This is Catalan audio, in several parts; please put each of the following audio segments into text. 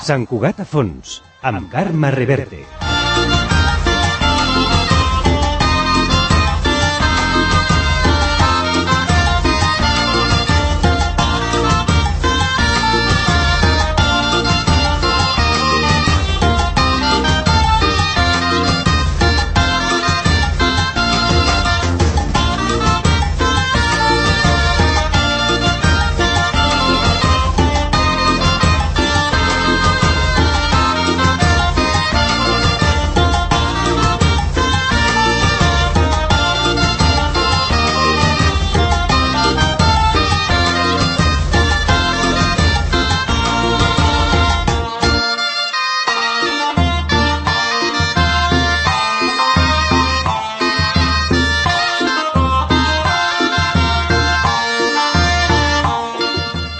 Sant Cugat a fons, amb Carme Reverte.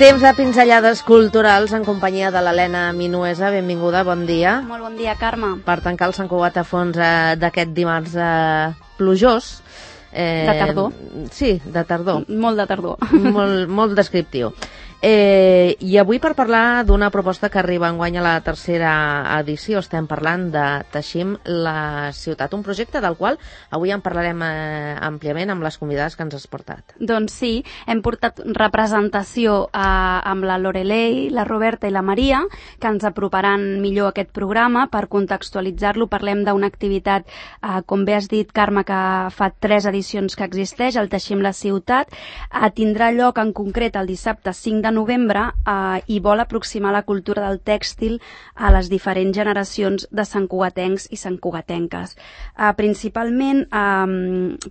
Temps de pinzellades culturals en companyia de l'Helena Minuesa. Benvinguda, bon dia. Molt bon dia, Carme. Per tancar el Sant Cugat a fons d'aquest dimarts plujós. De tardor. Sí, de tardor. Molt de tardor. Molt descriptiu. I avui per parlar d'una proposta que arriba enguany a la tercera edició, estem parlant de Teixim la ciutat, un projecte del qual avui en parlarem àmpliament amb les convidades que ens has portat. Doncs sí, hem portat representació amb la Lorelei, la Roberta i la Maria, que ens aproparan millor aquest programa. Per contextualitzar-lo, parlem d'una activitat, com bé has dit, Carme, que fa 3 edicions que existeix, el Teixim la ciutat. Tindrà lloc en concret el dissabte 5 de novembre i vol aproximar la cultura del tèxtil a les diferents generacions de santcugatencs i santcugatenques. Principalment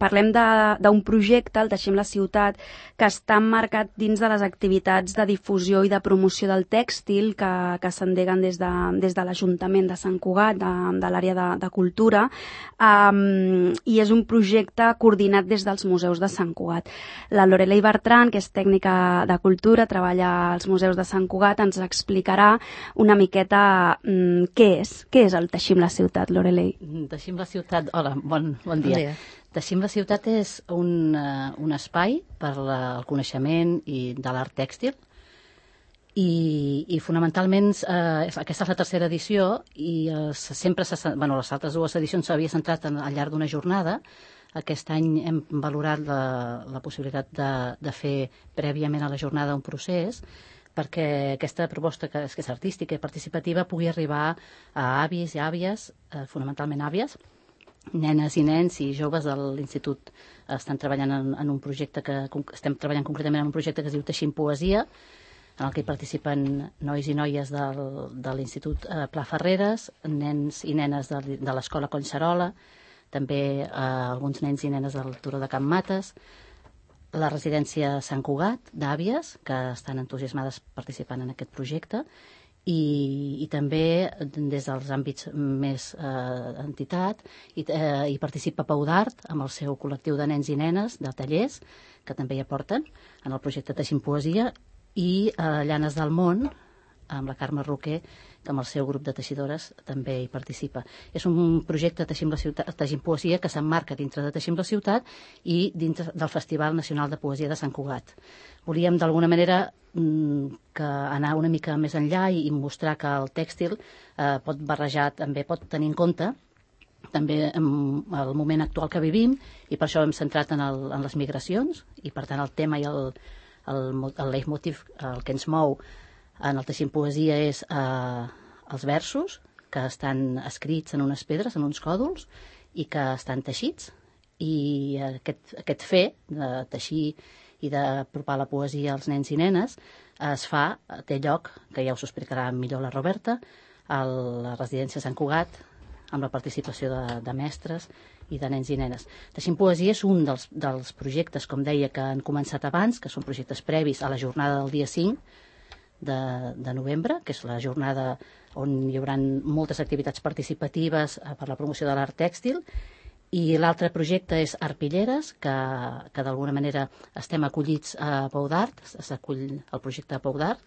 parlem d'un projecte, el Teixim la ciutat, que està emmarcat dins de les activitats de difusió i de promoció del tèxtil que s'endeguen des de l'Ajuntament de Sant Cugat, de l'àrea de cultura, i és un projecte coordinat des dels museus de Sant Cugat. La Lorelei Bertran, que és tècnica de cultura, treballa als museus de Sant Cugat, ens explicarà una miqueta què és el Teixim la ciutat, Lorelei. Teixim la ciutat, hola, bon dia. Teixim la ciutat és un espai per al coneixement i de l'art tèxtil i fonamentalment aquesta és la tercera edició i sempre, les altres 2 edicions s'havia centrat al llarg d'una jornada. Aquest any hem valorat la possibilitat de fer prèviament a la jornada un procés perquè aquesta proposta, que és artística i participativa, pugui arribar a avis i àvies, fonamentalment àvies, nenes i nens i joves de l'Institut. Estan treballant en un projecte estem treballant concretament en un projecte que es diu Teixim Poesia, en el que hi participen nois i noies de l'Institut Pla Ferreres, nens i nenes de l'Escola Collserola, també alguns nens i nenes del Turó de Can Mates, la residència Sant Cugat d'àvies, que estan entusiasmades participant en aquest projecte, i també des dels àmbits més entitat, hi participa Pau d'Art amb el seu col·lectiu de nens i nenes de tallers, que també hi aporten en el projecte Teixim Poesia, i Llanes del Món, amb la Carme Roquer, que amb el seu grup de teixidores també hi participa. És un projecte Teixim la ciutat, Teixim Poesia, que s'emmarca dintre de Teixim la ciutat i dintre del Festival Nacional de Poesia de Sant Cugat. Volíem d'alguna manera anar una mica més enllà i mostrar que el tèxtil pot barrejar, també pot tenir en compte també el moment actual que vivim, i per això hem centrat en les migracions, i per tant el tema i el leitmotiv, el que ens mou en el Teixim Poesia és els versos que estan escrits en unes pedres, en uns còdols, i que estan teixits, i aquest fer de teixir i d'apropar la poesia als nens i nenes té lloc, que ja us ho explicarà millor la Roberta, a la residència Sant Cugat, amb la participació de mestres i de nens i nenes. Teixim Poesia és un dels projectes, com deia, que han començat abans, que són projectes previs a la jornada del dia 5 de novembre, que és la jornada on hi haurà moltes activitats participatives per la promoció de l'art tèxtil, i l'altre projecte és Arpilleres, que d'alguna manera estem acollits a Pau d'Art, s'acull el projecte a Pau d'Art.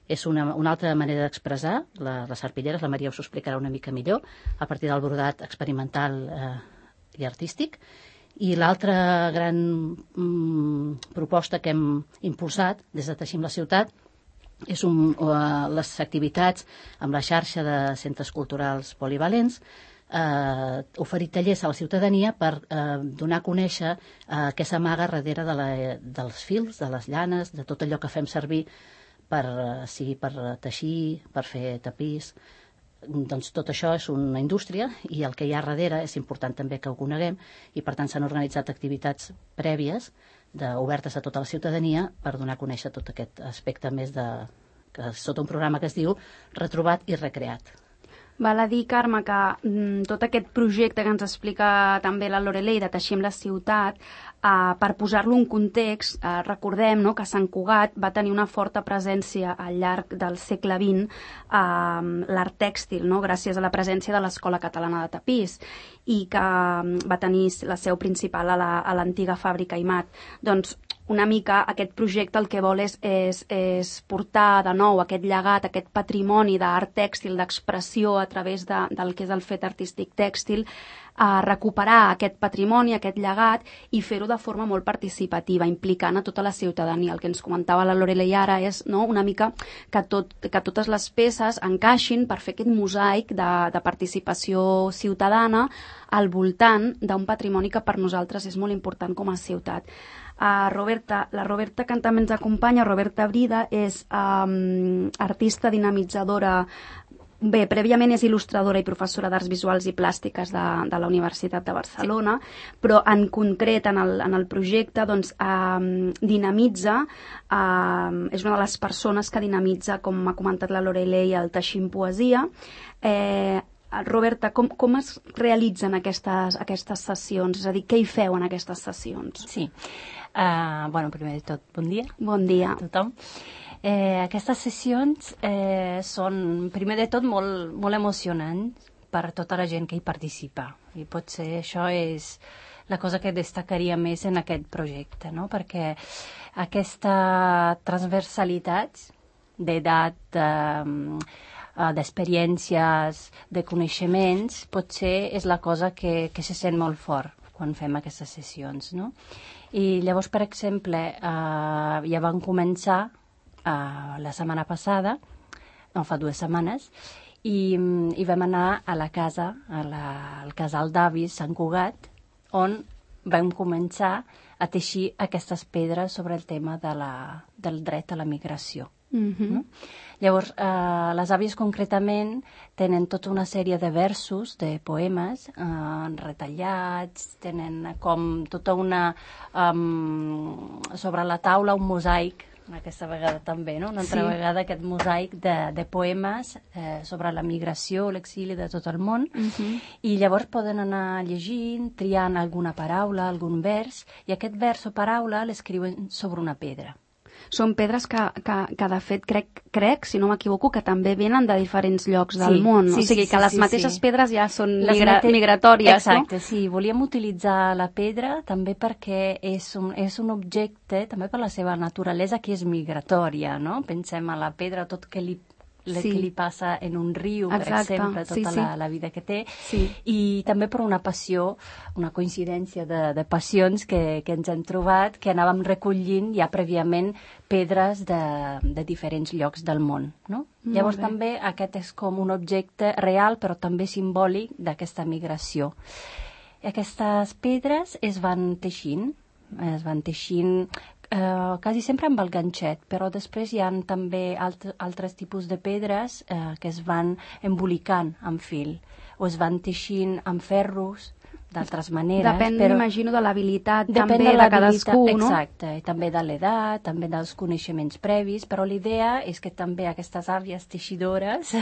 És una altra manera d'expressar les arpilleres, la Maria us ho explicarà una mica millor, a partir del brodat experimental i artístic. I l'altra gran proposta que hem impulsat des de Teixim la ciutat les activitats amb la xarxa de centres culturals polivalents, oferir tallers a la ciutadania per donar a conèixer què s'amaga darrere dels fils, de les llanes, de tot allò que fem servir sigui per teixir, per fer tapís. Doncs tot això és una indústria i el que hi ha darrere és important també que ho coneguem i per tant s'han organitzat activitats prèvies obertes a tota la ciutadania per donar a conèixer tot aquest aspecte més sota un programa que es diu Retrobat i Recreat. Val a dir, Carme, que tot aquest projecte que ens explica també la Lorelei de Teixim la ciutat, per posar-lo en context, recordem que Sant Cugat va tenir una forta presència al llarg del segle XX l'art tèxtil, gràcies a la presència de l'Escola Catalana de Tapís, i que va tenir la seu principal a l'antiga fàbrica Imat. Doncs una mica aquest projecte el que vol és portar de nou aquest llegat, aquest patrimoni d'art tèxtil, d'expressió a través del que és el fet artístic tèxtil, a recuperar aquest patrimoni, aquest llegat i fer-ho de forma molt participativa, implicant a tota la ciutadania. El que ens comentava la Lorelei ara és una mica que totes les peces encaixin per fer aquest mosaic de participació ciutadana al voltant d'un patrimoni que per nosaltres és molt important com a ciutat. La Roberta que també ens acompanya, Roberta Brida, és artista dinamitzadora. Bé, prèviament és il·lustradora i professora d'arts visuals i plàstiques de la Universitat de Barcelona, però en concret en el projecte dinamitza, és una de les persones que dinamitza, com m'ha comentat la Lorelei, el Teixim Poesia. Roberta, com es realitzen aquestes sessions? És a dir, què hi feu en aquestes sessions? Sí. Primer de tot, bon dia. Bon dia. A tothom. Aquestes sessions són, primer de tot, molt emocionants per tota la gent que hi participa. I potser això és la cosa que destacaria més en aquest projecte, no? Perquè aquesta transversalitat d'edat, d'experiències, de coneixements, potser és la cosa que se sent molt fort quan fem aquestes sessions, no? I llavors, per exemple, ja vam començar la setmana passada, no, fa 2 setmanes, i vam anar a la casa, al casal d'avis Sant Cugat, on vam començar a teixir aquestes pedres sobre el tema del dret a la migració. No? Llavors, les àvies concretament tenen tota una sèrie de versos, de poemes retallats, tenen com tota una sobre la taula un mosaic, aquesta vegada també, no? Una altra vegada aquest mosaic de poemes sobre la migració, l'exili de tot el món, i llavors poden anar llegint, triant alguna paraula, algun vers, i aquest vers o paraula l'escriuen sobre una pedra. Són pedres que de fet, crec, si no m'equivoco, que també venen de diferents llocs del món. O sigui, que les mateixes pedres ja són migratòries, no? Exacte, sí. Volíem utilitzar la pedra també perquè és un objecte, també per la seva naturalesa, que és migratòria, no? Pensem a la pedra, tot que li passa en un riu, per exemple, tota la vida que té, i també per una passió, una coincidència de passions que ens hem trobat, que anàvem recollint ja prèviament pedres de diferents llocs del món, no? Llavors també aquest és com un objecte real, però també simbòlic d'aquesta migració. Aquestes pedres es van teixint quasi sempre amb el ganxet, però després hi ha també altres tipus de pedres que es van embolicant amb fil o es van teixint amb ferros d'altres maneres. Depèn, m'imagino, de l'habilitat també de cadascú, no? Exacte, i també de l'edat, també dels coneixements previs, però l'idea és que també aquestes àvies teixidores,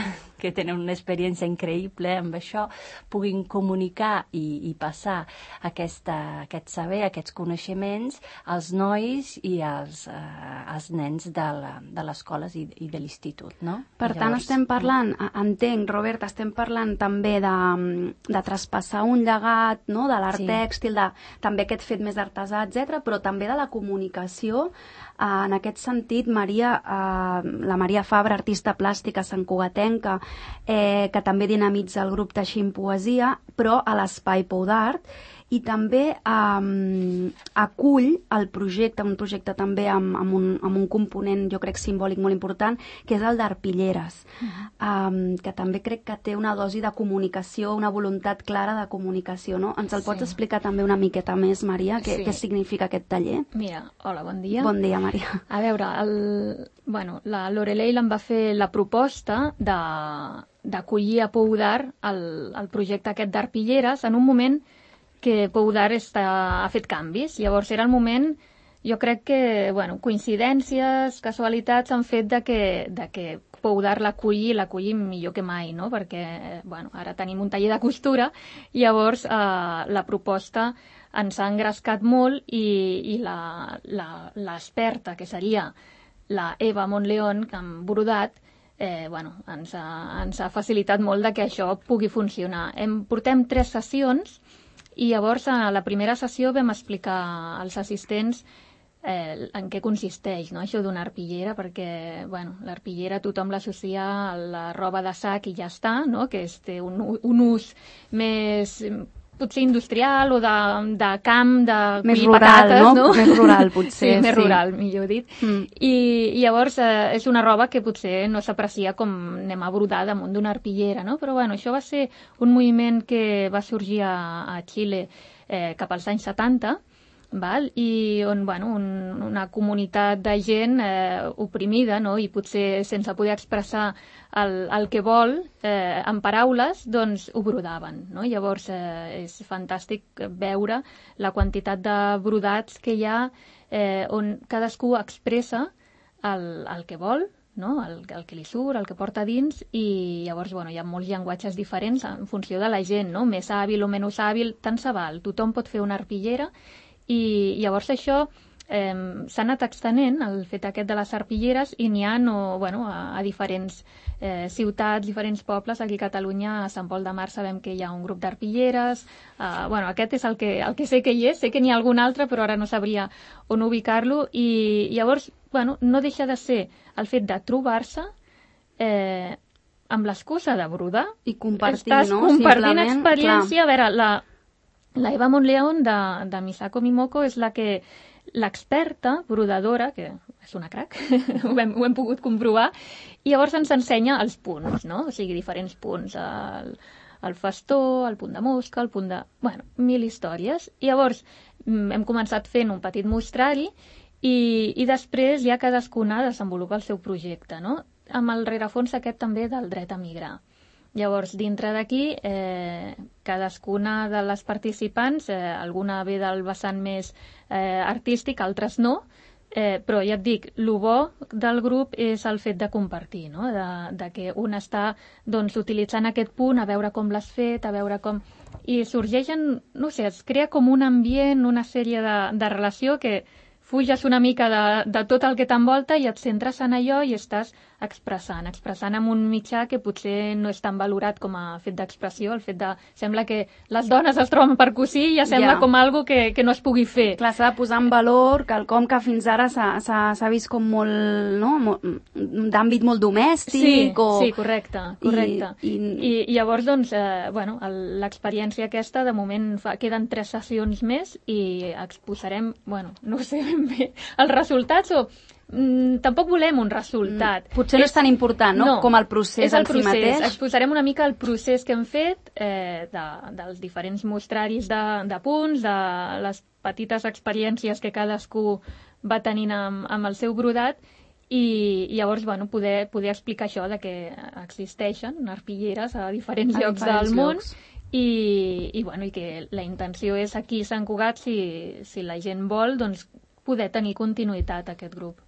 que tenen una experiència increïble amb això, puguin comunicar i passar aquest saber, aquests coneixements als nois i als nens de les escoles i de l'institut, no? Per tant, estem parlant, entenc, Robert, estem parlant també de traspassar un llegat, no? De l'art tèxtil, també aquest fet més artesà, etc., però també de la comunicació. En aquest sentit, la Maria Fabra, artista plàstica santcugatenca, que també dinamitza el grup Teixim Poesia, però a l'Espai Pou d'Art, i també acull el projecte, un projecte també amb un component, jo crec, simbòlic molt important, que és el d'Arpilleres, que també crec que té una dosi de comunicació, una voluntat clara de comunicació, no? Ens el pots explicar també una miqueta més, Maria, què significa aquest taller? Mira, hola, bon dia. Bon dia, Maria. A veure, la Lorelei em va fer la proposta d'acollir a Pou d'Art el projecte aquest d'Arpilleres en un moment que Pou d'Art ha fet canvis. Llavors era el moment, jo crec que, coincidències, casualitats han fet de que Pou d'Art l'acolli millor que mai, no? Perquè, ara tenim un taller de costura i llavors la proposta ens ha engrescat molt i l'experta, que seria la Eva Montleón, amb brodat, ens ha facilitat molt de que això pugui funcionar. Portem 3 sessions i llavors a la primera sessió vam explicar als assistents en què consisteix, no? Això d'una arpillera, perquè l'arpillera tothom l'associa a la roba de sac i ja està, no? Que té un ús més potser industrial o de camp, de collir patates, no? Més rural, potser. Sí, més rural, millor dit. I llavors és una roba que potser no s'aprecia com anem a brodar damunt d'una arpillera, no? Però això va ser un moviment que va sorgir a Xile cap als anys 70, i on una comunitat de gent oprimida, no? I potser sense poder expressar el que vol en paraules, doncs ho brodaven, no? Llavors és fantàstic veure la quantitat de brodats que hi ha on cadascú expressa el que vol, no? El que li surt, el que porta dins, i llavors hi ha molts llenguatges diferents en funció de la gent, no? Més hàbil o menys hàbil, tant se val, tothom pot fer una arpillera. I llavors això s'ha anat extenent, el fet aquest de les arpilleres, i n'hi ha a diferents ciutats, diferents pobles. Aquí a Catalunya, a Sant Pol de Mar, sabem que hi ha un grup d'arpilleres. Aquest és el que sé que hi és, sé que n'hi ha algun altre, però ara no sabria on ubicar-lo. I llavors, no deixa de ser el fet de trobar-se amb l'excusa de brodar. I compartir, estàs no? Compartint experiència. A veure, la Eva Montleón de Misako Mimoko és l'experta brodadora, que és una crac, ho hem pogut comprovar, i llavors ens ensenya els punts, no? O sigui, diferents punts, el festó, el punt de mosca, el punt de... mil històries. I llavors hem començat fent un petit mostrari i després ja cadascuna desenvolupa el seu projecte, no? Amb el rerefons aquest també del dret a migrar. Llavors, dintre d'aquí, cadascuna de les participants, alguna ve del vessant més artístic, altres no, però ja et dic, el bo del grup és el fet de compartir, no? De que un està utilitzant aquest punt, a veure com l'has fet, a veure com... I sorgeixen, no sé, es crea com un ambient, una sèrie de relació que fuges una mica de tot el que t'envolta i et centres en allò i estàs expressant en un mitjà que potser no és tan valorat com a fet d'expressió, el fet de... Sembla que les dones es troben per cosir i ja sembla com algo que no es pugui fer. Clar, s'ha de posar en valor quelcom que fins ara s'ha vist com molt, no? D'àmbit molt domèstic. Sí, correcte. I llavors, l'experiència aquesta, de moment, queden 3 sessions més i exposarem, no sé ben bé, els resultats o... tampoc volem un resultat. Potser no és tan important, no? Com el procés en si mateix. Exposarem una mica el procés que hem fet dels diferents mostraris de punts, de les petites experiències que cadascú va tenint amb el seu brodat i llavors poder explicar això de que existeixen arpilleres a diferents llocs del món i que la intenció és aquí a Sant Cugat, si la gent vol, poder tenir continuïtat a aquest grup.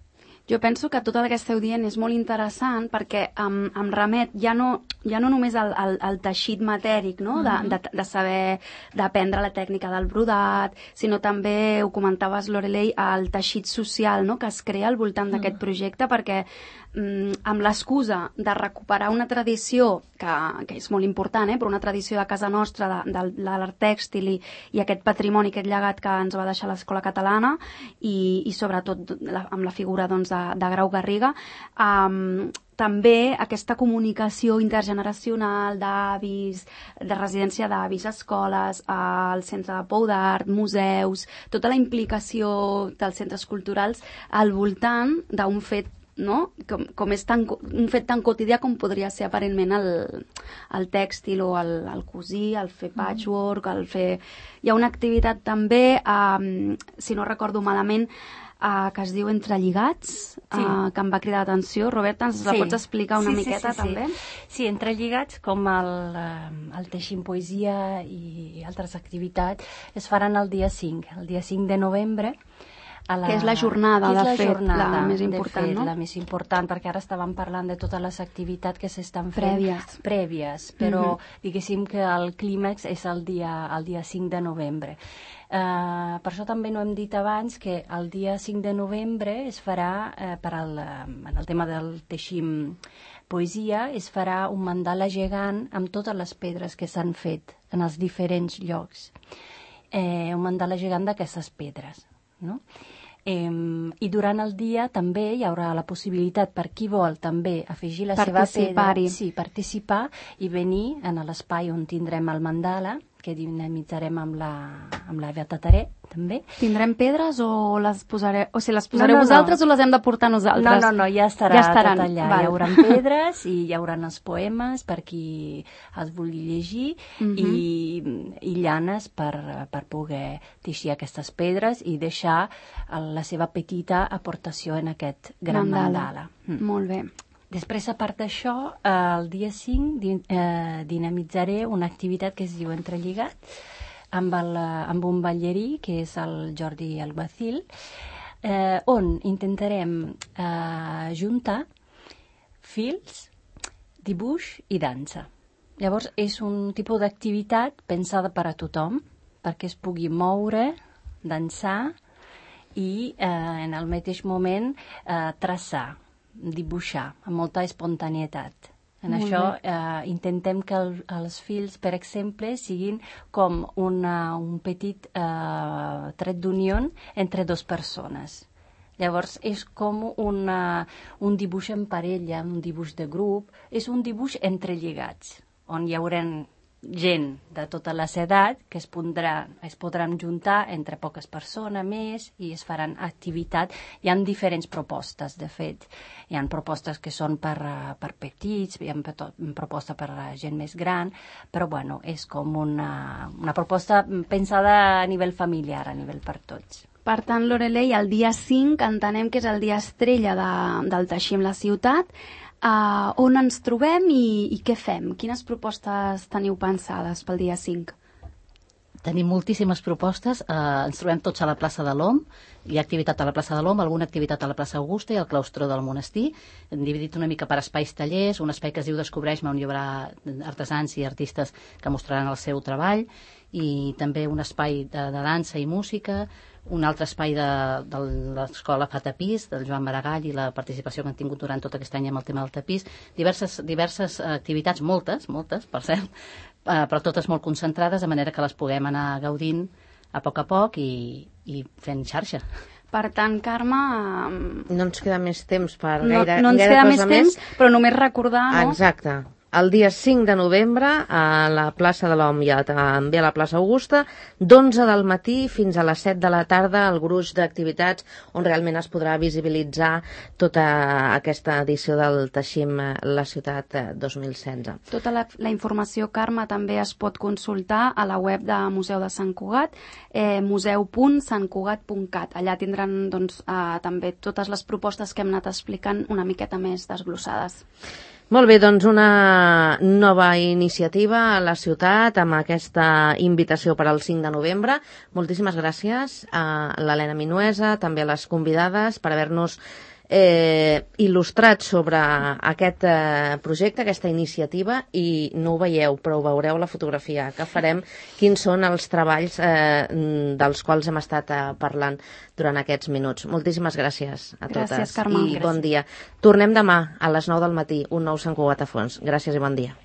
Jo penso que tot el que esteu dient és molt interessant perquè em remet ja no només al teixit matèric, no? De saber, d'aprendre la tècnica del brodat, sinó també, ho comentaves, Lorelei, el teixit social, no? Que es crea al voltant d'aquest projecte, perquè amb l'excusa de recuperar una tradició que és molt important, però una tradició de casa nostra, de l'art tèxtil i aquest patrimoni, aquest llegat que ens va deixar l'Escola Catalana i sobretot amb la figura de Grau Garriga, també aquesta comunicació intergeneracional d'avis, de residència d'avis, escoles, el centre de Pou d'Art, museus, tota la implicació dels centres culturals al voltant d'un fet, no? Com és un fet tan quotidià com podria ser aparentment el tèxtil o el cosir, el fer patchwork, el fer... Hi ha una activitat també, si no recordo malament, que es diu Entrelligats, que em va cridar l'atenció. Roberta, ens la pots explicar una miqueta també? Sí, Entrelligats, com el Teixim Poesia i altres activitats, es faran el dia 5 de novembre, que és la jornada, de fet, la més important, no? La més important, perquè ara estàvem parlant de totes les activitats que s'estan fent prèvies, però diguéssim que el clímax és el dia 5 de novembre. Per això també no hem dit abans que el dia 5 de novembre es farà, en el tema del Teixim Poesia, es farà un mandala gegant amb totes les pedres que s'han fet en els diferents llocs. Un mandala gegant d'aquestes pedres, no? I durant el dia també hi haurà la possibilitat per qui vol també afegir la seva pedra, participar i venir a l'espai on tindrem el mandala, que dinamitzarem amb la Beata Taré, també. Tindrem pedres o les posareu, o si les posareu vosaltres o les hem de portar nosaltres? No, ja estaran tot allà. Val. Hi haurà pedres i hi haurà els poemes per qui els vulgui llegir i llanes per poder teixir aquestes pedres i deixar la seva petita aportació en aquest gran mandala. Molt bé. Després, a part d'això, el dia 5 dinamitzaré una activitat que es diu Entrelligats amb un ballarí, que és el Jordi Alguacil, on intentarem juntar fils, dibuix i dansa. Llavors, és un tipus d'activitat pensada per a tothom, perquè es pugui moure, dansar i en el mateix moment traçar, dibuixar amb molta espontaneïtat. En això intentem que els fils, per exemple, siguin com un petit tret d'unió entre dues persones. Llavors és com un dibuix en parella, un dibuix de grup, és un dibuix entrelligats, on hi haurà gent de totes les edats que es podran juntar entre poques persones més i es faran activitats. Hi ha diferents propostes, de fet. Hi ha propostes que són per petits, hi ha propostes per gent més gran, però bueno, és com una proposta pensada a nivell familiar, a nivell per tots. Per tant, Lorelei, el dia 5 entenem que és el dia estrella del Teixim la Ciutat. On ens trobem i què fem? Quines propostes teniu pensades pel dia 5? Tenim moltíssimes propostes. Ens trobem tots a la plaça de l'Om. Hi ha activitat a la plaça de l'Om, alguna activitat a la plaça Augusta i al claustró del monestir. Hem dividit una mica per espais tallers, un espai que es diu Descobreix-me, on hi haurà artesans i artistes que mostraran el seu treball, i també un espai de dansa i música, un altre espai de l'escola Fa Tapís, del Joan Maragall, i la participació que han tingut durant tot aquest any amb el tema del tapís. Diverses activitats, moltes, per cert, però totes molt concentrades, de manera que les puguem anar gaudint a poc i fent xarxa. Per tant, Carme... No ens queda més temps per gaire cosa més. No ens queda més temps, però només recordar, no? Exacte. El dia 5 de novembre a la plaça de l'Om i també a la plaça Augusta, d'11 del matí fins a les 7 de la tarda, el gruix d'activitats on realment es podrà visibilitzar tota aquesta edició del Teixim la Ciutat 2016. Tota la informació, Carme, també es pot consultar a la web de Museu de Sant Cugat, museu.santcugat.cat. Allà tindran també totes les propostes que hem anat explicant una miqueta més desglossades. Molt bé, doncs una nova iniciativa a la ciutat amb aquesta invitació per al 5 de novembre. Moltíssimes gràcies a l'Helena Minuesa, també a les convidades, per haver-nos il·lustrat sobre aquest projecte, aquesta iniciativa, i no ho veieu, però ho veureu a la fotografia que farem, quins són els treballs dels quals hem estat parlant durant aquests minuts. Moltíssimes gràcies a totes. Gràcies, Carme. I bon dia. Tornem demà a les 9 del matí, un nou Sant Cugat a fons. Gràcies i bon dia.